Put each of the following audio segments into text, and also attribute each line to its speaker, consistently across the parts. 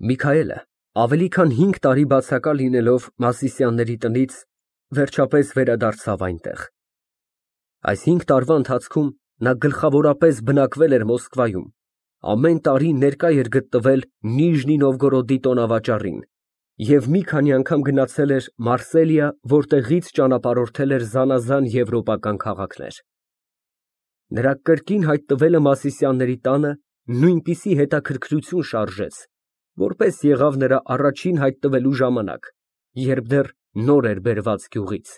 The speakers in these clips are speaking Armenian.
Speaker 1: Միքայելը ավելի քան 5 տարի բացակա լինելով Մասիսյանների տնից, վերջապես վերադարձավ այնտեղ։ Այս 5 տարվա ընթացքում նա գլխավորապես բնակվել էր Մոսկվայում, ամեն տարի ներկա էր գտնվել Նիժնի Նովգորոդի տոնավաճառին և մի քանի անգամ գնացել էր Մարսելիա, որտեղից ճանապարհորդել էր զանազան եվրոպական քաղաքներ։ Նրա կրկին հայտնվելը Մասիսյանների տանը նույնպիսի հետաքրքրություն շարժեց, որպես եղավ նրա առաջին հայտնվելու ժամանակ, երբ դեռ նոր էր բերված գյուղից։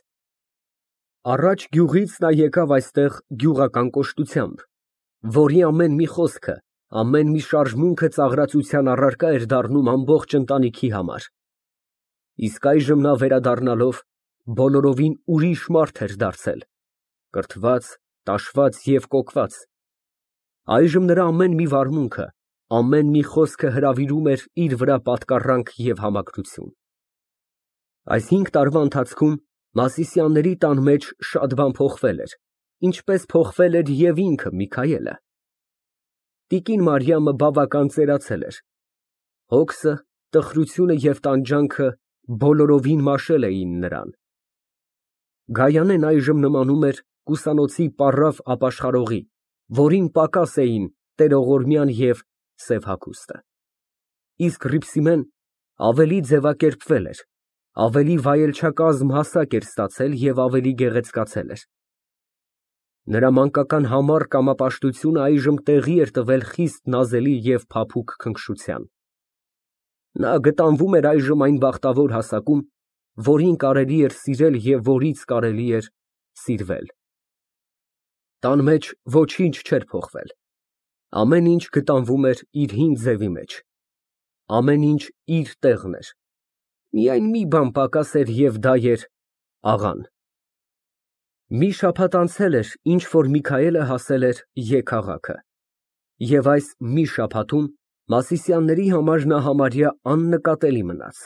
Speaker 1: Առաջ գյուղից նա եկավ այստեղ գյուղական կոշտությամբ, որի ամեն մի խոսքը, ամեն մի շարժմունքը ծաղրածության առարկա էր դառնում ամբողջ ընտանիքի համար։ Իսկ այժմ նա վերադառնալով բոլորովին ուրիշ մարդ էր դարձել, կրթված, տաշված և կոկված։ Այժմ նրա ամեն մի վարմունքը, ամեն մի խոսքը հրավիրում էր իր վրա պատկառանք և համակրություն։ Այս 5 տարվա ընթացքում Մասիսյանների տան մեջ շատ բան փոխվել էր, ինչպես փոխվել էր և ինքը Միքայելը։ Տիկին Մարիամը բավական ծերացել էր։ Հոգսը, տխրությունը և տանջանքը բոլորովին մաշել էին նրան։ Գայանեն այժմ նմանում էր կուսանոցի պառավ ապաշխարողի, որին պակաս էին տերողորմյան և սև հագուստը։ Իսկ Հռիփսիմեն ավելի ձևակերպվել էր, ավելի վայելչակազմ հասակ էր ստացել և ավելի գեղեցկացել էր։ Նրա մանկական համառ կամապաշտությունը այժմ տեղի էր տվել խիստ նազելի և փափուկ քնքշության։ Նա գտանվում էր այժմ այն բախտավոր հասակում, որին կարելի էր սիրել և որից կարելի էր սիրվել։ Տան մեջ ոչինչ չէր փոխվել։ Ամեն ինչ գտանվում էր իր հին ձևի մեջ։ Ամեն ինչ իր տեղն էր։ Միայն մի բան պակաս էր և դա էր աղան։ Մի շաբաթ անցել էր, ինչ որ Միքայելը հասել էր Ե քաղաքը, և այս մի շաբաթում Մասիսյանների համար նա համարյա աննկատելի մնաց։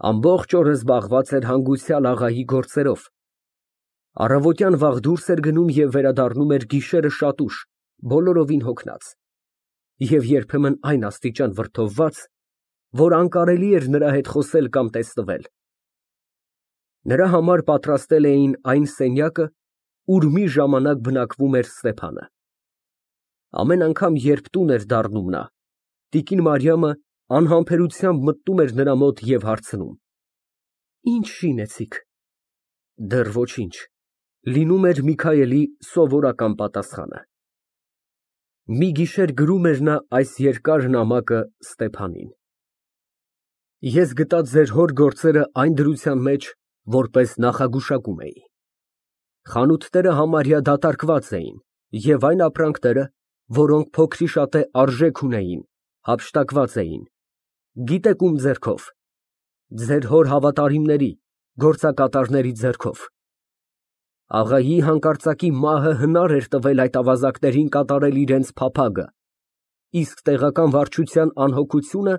Speaker 1: Ամբողջ օրը զբաղված էր հանգուցյալ աղայի գործերով։ Առավոտյան վաղ դուրս էր գնում և վերադառնում էր գիշերը շատ ուշ, բոլորովին հոգնած և երբեմն այն աստիճան վրդովված, որ անկարելի էր նրա հետ խոսել կամ տեսնվել։ Նրա համար պատրաստել էին այն սենյակը, ուր մի ժամանակ բնակվում էր Ստեփանը։ Ամեն անգամ, երբ տուն էր դառնում նա, տիկին Մարիամը անհամբերությամբ մտնում էր նրա մոտ և հարցնում. «Ի՞նչ շինեցիք»։ «Դեռ ոչինչ», լինում էր Միքայելի սովորական պատասխանը։ Մի գիշեր գրում էր նա այս երկար նամակը Ստեփանին. «Ես գտա ձեր հոր գործերը այն դրության մեջ, որպես նախագուշակում էի։ Խանութները համարյա դատարկված էին, և այն ապրանքները, որոնք փոքրիշատե արժեք ունեին, հափշտակված էին, գիտեք ում ձեռքով, ձեր հոր հավատարիմների, գործակատարների ձեռքով։ Աղայի հանկարծակի մահը հնար էր տվել այդ ավազակներին կատարել իրենց փափագը, իսկ տեղական վարչության անհոգությունը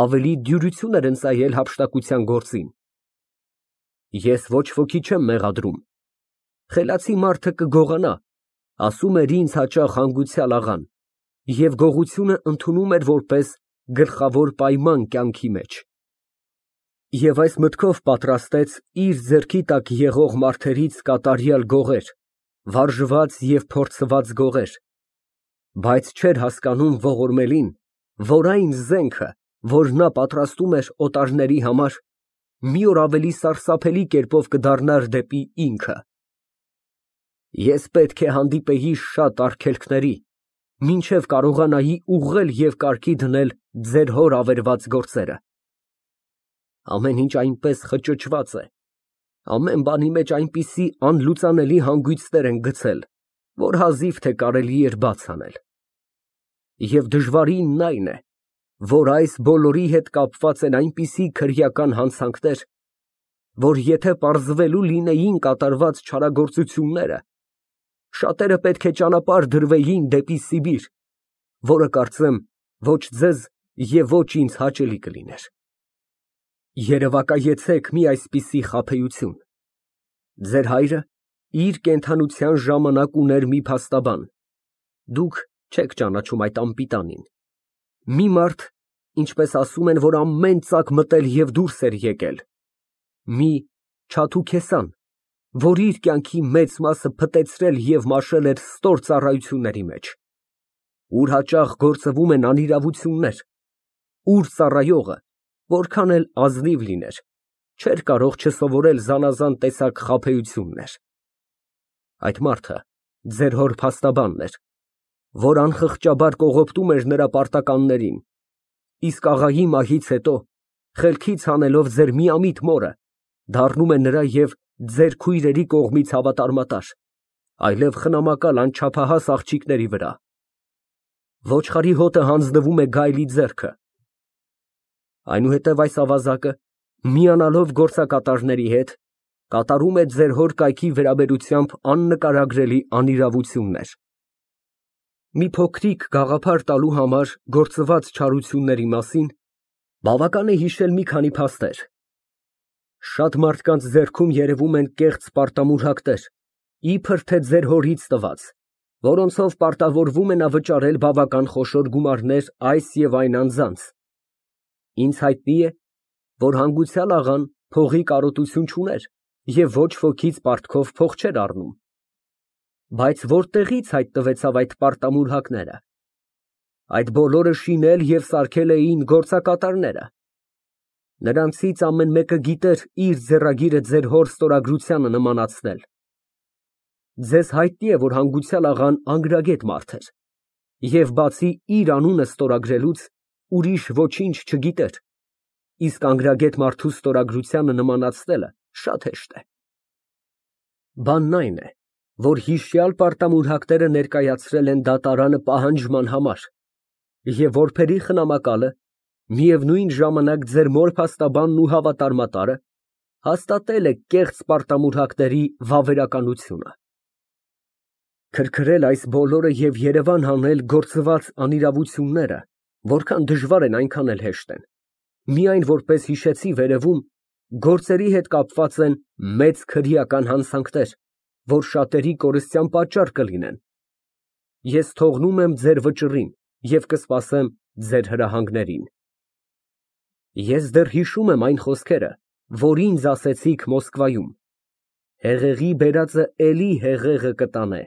Speaker 1: ավելի դյուրություն էր ընծայել հափշտակության գործին։ Ես ոչ ոքի չեմ մեղադրում։ Խելացի մարդը կգողանա, ասում էր ինձ հաճախ հանգուցյալ աղան, և գողությունը ընդունում էր որպես գլխավոր պայման կյանքի մեջ։ Եվ այս մտքով պատրաստեց իր ձեռքի տակ եղող մարդերից կատարյալ գողեր, վարժված և փորձված գողեր, բայց չէր հասկանում ողորմելին, որ այն զենքը, որ նա պատրաստում էր օտարների համար, մի օր ավելի սարսափելի կերպով կդառնար դեպի ինքը։ Ես պետք է հանդիպեի շատ արգելքների, մինչև կարողանայի ուղղել և կարգի դնել ձեր հոր ավերված գործերը։ Ամեն ինչ այնպես խճճված է, ամեն բանի մեջ այնպիսի անլուծանելի հանգույցներ են գցել, որ հազիվ թե կարելի էր բաց անել։ Եվ դժվարինն այն է, որ այս բոլորի հետ կապված են այնպիսի քրեական հանցանքներ, որ եթե պարզվելու լինեին կատարված չարագործությունները, շատերը պետք է ճանապարհ դրվեին դեպի Սիբիր, որը կարծեմ ոչ ձեզ և ոչ ինձ հաճելի կլիներ։ Երևակայեցեք մի այսպիսի խաբեություն։ Ձեր հայրը իր կենդանության ժամանակ ուներ մի փաստաբան, դուք չեք ճանաչում այդ անպիտանին, մի մարդ, ինչպես ասում են, որ ամեն ծակ մտել և դուրս էր եկել, մի Չաթուքեսան, որ իր կյանքի մեծ մասը փտեցրել և մաշել էր ստոր ծառայությունների մեջ, ուր հաճախ գործվում են անիրավություններ, ուր ծառայողը, որքան էլ ազնիվ լիներ, չէր կարող չսովորել զանազան տեսակ խաբեություններ։ Այդ մարդը ձեր հոր փաստաբանն էր, որ անխղճաբար կողոպտում էր նրա պարտականներին, իսկ աղայի մահից հետո, խելքից հանելով ձեր միամիտ մորը, դառնում է նրա և ձեր քույրերի կողմից հավատարմատար, այլև խնամակալ անչափահաս աղջիկների վրա։ Ոչխարի հոտը հանձնվում է գայլի ձեռքը։ Այնուհետև այս ավազակը, միանալով գործակատարների հետ, կատարում է ձեր հոր կայքի վերաբերությամբ աննկարագրելի անիրավություններ։ Մի փոքրիկ գաղափար տալու համար գործված չարությունների մասին բավական է հիշել մի քանի փաստեր։ Շատ մարդկանց ձեռքում երևում են կեղծ պարտամուրհակներ, իբր թե ձեր հորից տված, որոնցով պարտավորվում է նա վճարել բավական խոշոր գումարներ այս և այն անձանց։ Ինձ հայտնի է, որ հանգուցյալ աղան փողի կարոտություն չուներ և ոչ ոքից պարտքով փող չէր առնում։ Բայց որտեղի՞ց հայտնվեցավ այդ պարտամուրհակները։ Այդ բոլորը շինել և սարքել էին գործակատարները։ Նրանցից ամեն մեկը գիտեր իր ձեռագիրը ձեր հոր ստորագրությանը նմանացնել։ Ձեզ հայտնի է, որ հանգուցյալ աղան անգրագետ մարդ էր և բացի իր անունը ստորագրելուց ուրիշ ոչինչ չգիտեր, իսկ անգրագետ մարդու ստորագրությանը նմանացնելը շատ հեշտ է։ Բանն այն է, որ հիշյալ պարտամուրհակները ներկայացրել են դատարանը պահանջման համար, և որբերի խնամակալը, միևնույն ժամանակ ձեր մոր փաստաբանն ու հավատարմատարը, հաստատել է կեղծ պարտամուրհակների վավերականությունը։ Քրքրել այս բոլորը և երևան հանել գործված անիրավությունները, որքան դժվար են, այնքան էլ հեշտ են, միայն որպես հիշեցի վերևում, գործերի հետ կապված են մեծ քրեական հանցանքներ, որ շատերի կորստյան պատճառ կլինեն։ Ես թողնում եմ ձեր վճռին և կսպասեմ ձեր հրահանգներին։ Ես դեռ հիշում եմ այն խոսքերը, որ ինձ ասեցիք Մոսկվայում. հեղեղի բերածը էլի հեղեղը կտանե։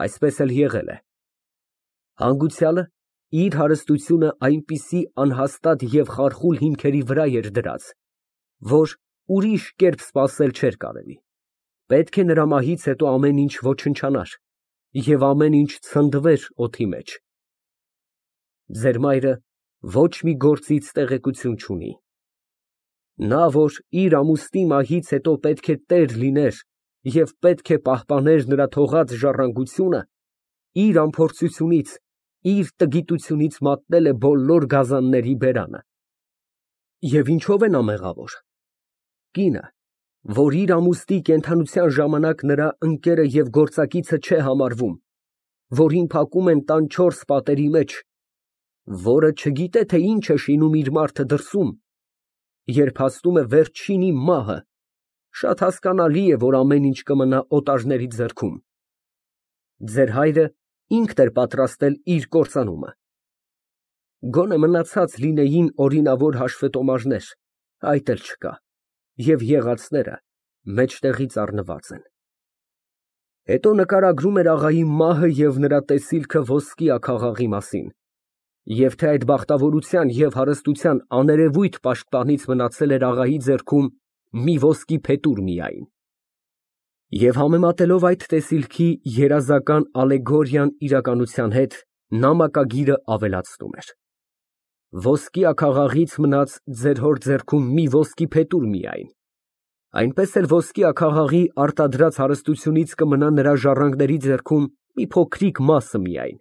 Speaker 1: Այսպես էլ եղել է։ Հանգուցյալը իր հարստությունը այնպիսի անհաստատ և խարխուլ հիմքերի վրա էր դրած, որ ուրիշ կերպ սպասել չէր կարելի։ Պետք է նրա մահից հետո ամեն ինչ ոչնչանար և ամեն ինչ ցնդվեր օդի մեջ։ Ձեր մայրը ոչ մի գործից տեղեկություն չունի։ Նա, որ իր ամուսնի մահից հետո պետք է տեր լիներ և պետք է պահպաներ նրա թողած ժառանգությունը, իր անփորձությունից, իր տգիտությունից մատնել է բոլոր գազանների բերանը։ Եվ ինչո՞վ է նա մեղավոր։ Կինը, որ իր ամուսնի կենդանության ժամանակ նրա ընկերը և գործակիցը չէ համարվում, որին փակում են տան 4 պատերի մեջ, որը չգիտե, թե ինչ է շինում իր մարդը դրսում, երբ հասնում է վերջինի մահը, շատ հասկանալի է, որ ամեն ինչ կմնա օտարների ձեռքում։ Ձեր հայրը ինքն էր պատրաստել իր կործանումը։ Գոնե մնացած լինեին օրինավոր հաշվետոմարներ, այդ էլ չկա, և եղածները մեջտեղից առնված են։ Հետո նկարագրում էր աղայի մահը և նրա տեսիլքը ոսկի աքաղաղի մասին, և թե այդ բախտավորության և հարստության աներևույթ պաշտպանից մնացել էր աղայի ձեռքում մի ոսկի փետուր միայն։ Եվ համեմատելով այդ տեսիլքի երազական ալեգորիան իրականության հետ, նամակագիրը ավելացնում էր. ոսկի աքաղաղից մնաց ձեր հոր ձեռքում մի ոսկի փետուր միայն, այնպես էլ ոսկի աքաղաղի արտադրած հարստությունից կմնա նրա ժառանգների ձեռքում մի փոքրիկ մասը միայն։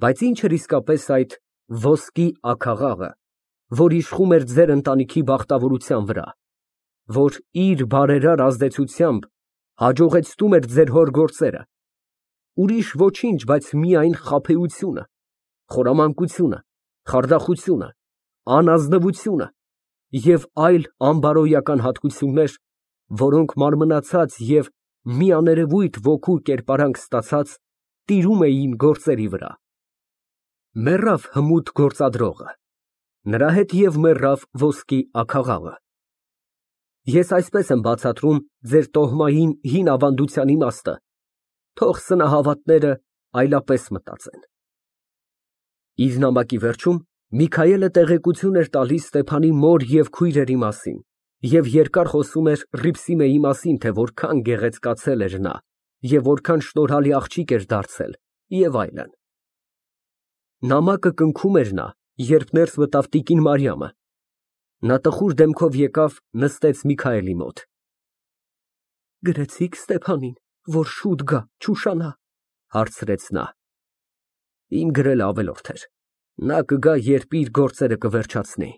Speaker 1: Բայց ի՞նչ էր իսկապես այդ ոսկի աքաղաղը, որ իշխում էր ձեր ընտանիքի բախտավորության վրա, որ իր բարերար ազդեցությամբ հաջողեցնում էր ձեր հոր գործերը։ Ուրիշ ոչինչ, բայց միայն խաբեությունը, խորամանկությունը, խարդախությունը, անազնվությունը և այլ անբարոյական հատկություններ, որոնք մարմնացած և մի աներևույթ ոգու կերպարանք ստացած, տիրում էին գործերի վրա։ Մեռավ հմուտ գործադրողը, նրա հետ և մեռավ ոսկի աքաղաղը։ Ես այսպես եմ բացատրում ձեր տոհմային հին ավանդության իմաստը, թող սնահավատները այլապես մտածեն։ Իր նամակի վերջում Միքայելը տեղեկություն էր տալիս Ստեփանի մոր և քույրերի մասին և երկար խոսում էր Հռիփսիմեի մասին, թե որքան գեղեցկացել էր նա և որքան շնորհալի աղջիկ էր դարձել և այլն։ Նամակը կնքում էր նա, երբ ներս մտավ տիկին Մարիամը։ Նա տխուր դեմքով եկավ, նստեց Միքայելի մոտ։ Գրեցի՞ք Ստեփանին, որ շուտ գա, չուշանա, հարցրեց նա։ Իմ գրելը ավելորդ էր։ Նա կգա, երբ իր գործերը կվերջացնի,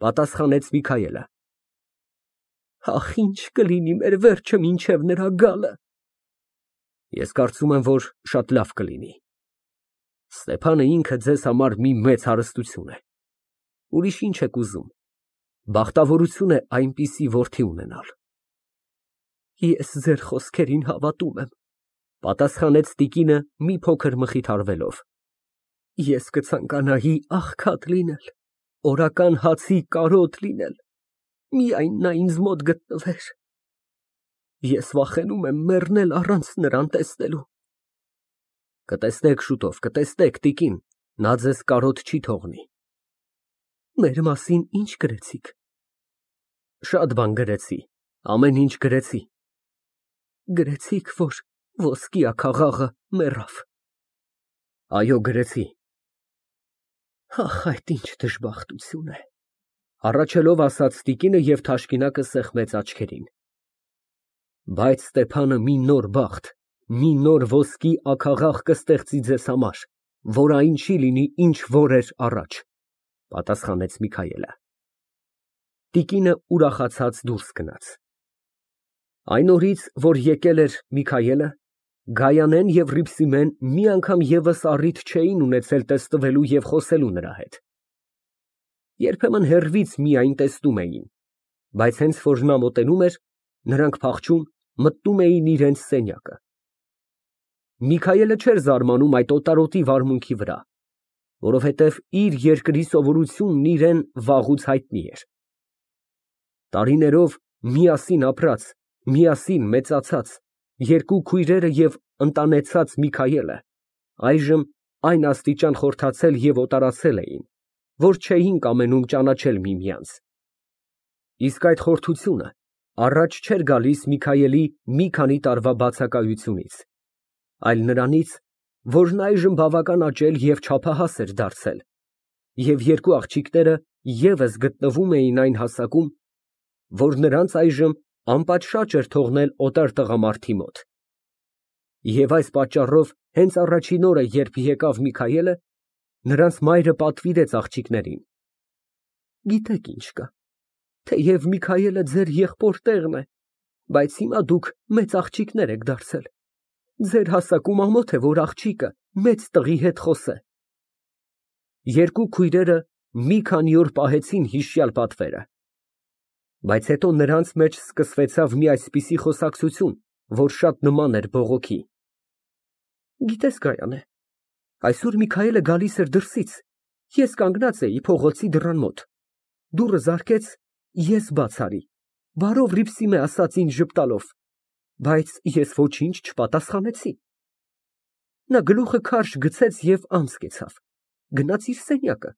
Speaker 1: պատասխանեց Միքայելը։ Ախ, ինչ կլինի մեր վերջը մինչև նրա գալը։ Ես կարծում եմ, որ շատ լավ կլինի։ Ստեփանը ինքը ձեզ համար մի մեծ հարստություն է։ Ուրիշ ինչ եք ուզում։ Բախտավորություն է այնպիսի որդի ունենալ։ Ես ձեր խոսքերին հավատում եմ, պատասխանեց տիկինը մի փոքր մխիթարվելով։ Ես կցանկանայի աղքատ լինել, օրական հացի կարոտ լինել, միայն նա ինձ մոտ գտնվեր։ Ես վախենում եմ մեռնել առանց նրան տեսնելու։ Կտեսնեք շուտով, կտեսնեք, տիկին, նա ձեզ կարոտ չի թողնի։ Մեր մասին ինչ գրեցիք։ Շատ բան գրեցի, ամեն ինչ գրեցի։ Գրեցիք, որ ոսկի աքաղաղը մեռավ։ Այո, գրեցի։ Ախ, այդ ինչ դժբախտություն է, հառաչելով ասաց տիկինը և թաշկինակը սեղմեց աչքերին։ Բայց Ստեփանը մի նոր բախտ, մի նոր ոսկի աքաղաղ կստեղծի ձեզ համար, որ այն չի լինի, ինչ որ էր առաջ, պատասխանեց Միքայելը։ Տիկինը ուրախացած դուրս գնաց։ Այն օրից, որ եկել էր Միքայելը, Գայանեն և Հռիփսիմեն մի անգամ ևս առիթ չէին ունեցել տեսնվելու և խոսելու նրա հետ։ Երբեմն հեռվից միայն տեսնում էին, բայց հենց որ նա մոտենում էր, նրանք փախչում, մտնում էին իրենց սենյակը։ Միքայելը չէր զարմանում այդ օտարոտի վարմունքի վրա, որովհետև իր երկրի սովորությունն իրան վաղուց հայտնի էր։ Տարիներով միասին ապրած, միասին մեծացած, երկու քույրերը և ընտանեցած Միքայելը այժմ այն աստիճան խորթացել և օտարացել էին, որ չէին կամենում ճանաչել միմյանց։ Իսկ այդ խորթությունը առաջ չէր գալիս Միքայելի մի քանի տարվա բացակայությունից, այլ նրանից, որ նա այժմ բավական աճել և չափահաս էր դարձել, և երկու աղջիկները ևս գտնվում էին այն հասակում, որ նրանց այժմ անպատշաճ էր թողնել օտար տղամարդի մոտ։ Եվ այս պատճառով հենց առաջին օրը, երբ եկավ Միքայելը, նրանց մայրը պատվիրեց աղջիկներին. Գիտեք ինչ կա, թեև Միքայելը ձեր եղբոր տեղն է, բայց հիմա դուք մեծ աղջիկներ եք դարձել, ձեր հասակում ամոթ է, որ աղջիկը մեծ տղի հետ խոսե։ Երկու քույրերը մի քանի օր պահեցին հիշյալ պատվերը, բայց հետո նրանց մեջ սկսվեցավ մի այսպիսի խոսակցություն, որ շատ նման էր բողոքի։ Գիտես, Գայանե, այսօր Միքայելը գալիս էր դրսից, ես կանգնած էի փողոցի դռան մոտ, դուռը զարկեց, ես բաց արի, բարով Հռիփսիմե ասաց ինձ ժպտալով, բայց ես ոչինչ չպատասխանեցի։ Նա գլուխը քարշ գցեց և անց կեցավ, գնաց իր սենյակը։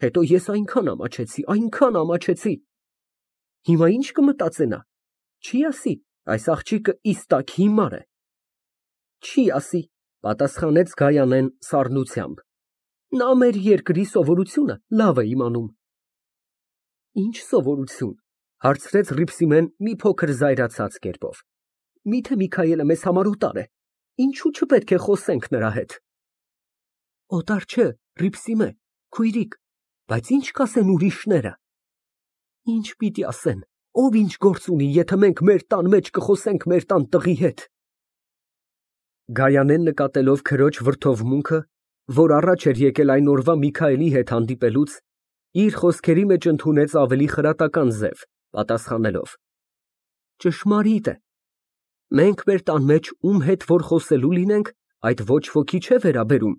Speaker 1: Հետո ես այնքան ամաչեցի։ Հիմա ինչ կմտածե նա, չի ասի, այս աղջիկը իսկակ հիմար է։ Չի ասի, պատասխանեց Գայանեն սառնությամբ։ Նա մեր երկրի սովորությունը լավ է իմանում։ Ինչ սովորություն, հարցրեց Հռիփսիմեն մի փոքր զայրացած կերպով։ Միթե Միքայելը մեզ համար օտար է, ինչու չպետք է խոսենք նրա հետ։ Օտար չէ, Հռիփսիմե, քույրիկ, բայց ինչ կասեն ուրիշները։ Ինչ պիտի ասեն, ով ինչ գործ ունի, եթե մենք մեր տան մեջ կխոսենք մեր տան տղի հետ։ Գայանեն նկատելով քրոջ վրդովմունքը, որ առաջ էր եկել այն օրվա Միքայելի հետ հանդիպելուց, իր խոսքերի մեջ ընդունեց ավելի խրատական ձև, պատասխանելով. Ճշմարիտ է։ Մենք մեր տան մեջ ում հետ որ խոսելու լինենք, այդ ոչ ոքի չէ վերաբերում։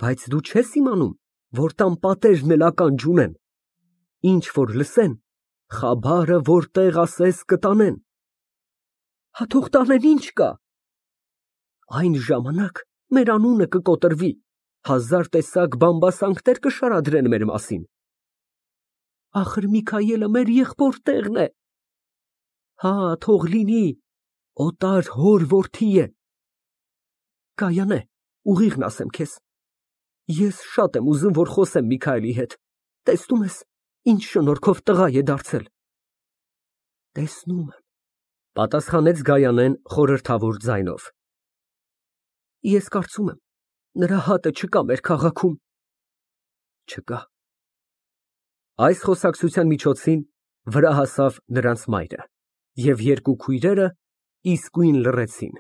Speaker 1: Բայց դու չես իմանում, որ տան պատերն էլ ականջ ունեն, ինչ որ լսեն, խաբարը որտեղ ասես կտանեն։ Հա թող տանեն, ինչ կա։ Այն ժամանակ մեր անունը կկոտրվի, հազար տեսակ բամբասանքներ կշարադրեն մեր մասին։ Ախր Միքայելը մեր եղբոր է։ Հա, թող լինի, օտար հոր որդի է։ Կայանե, ուղիղն ասեմ քեզ։ Ես շատ եմ ուզում, որ խոսեմ Միքայելի հետ։ Տեսնում ես, ինչ շնորհքով տղա է դարձել։ Տեսնում եմ, պատասխանեց Գայանեն խորհրդավոր ձայնով։ Ես կարծում եմ, նրա հատը չկա մեր քաղաքում։ Չկա։ Այս խոսակցության միջոցին վրա հասավ նրանց մայրը, և երկու քույրերը իսկույն լռեցին։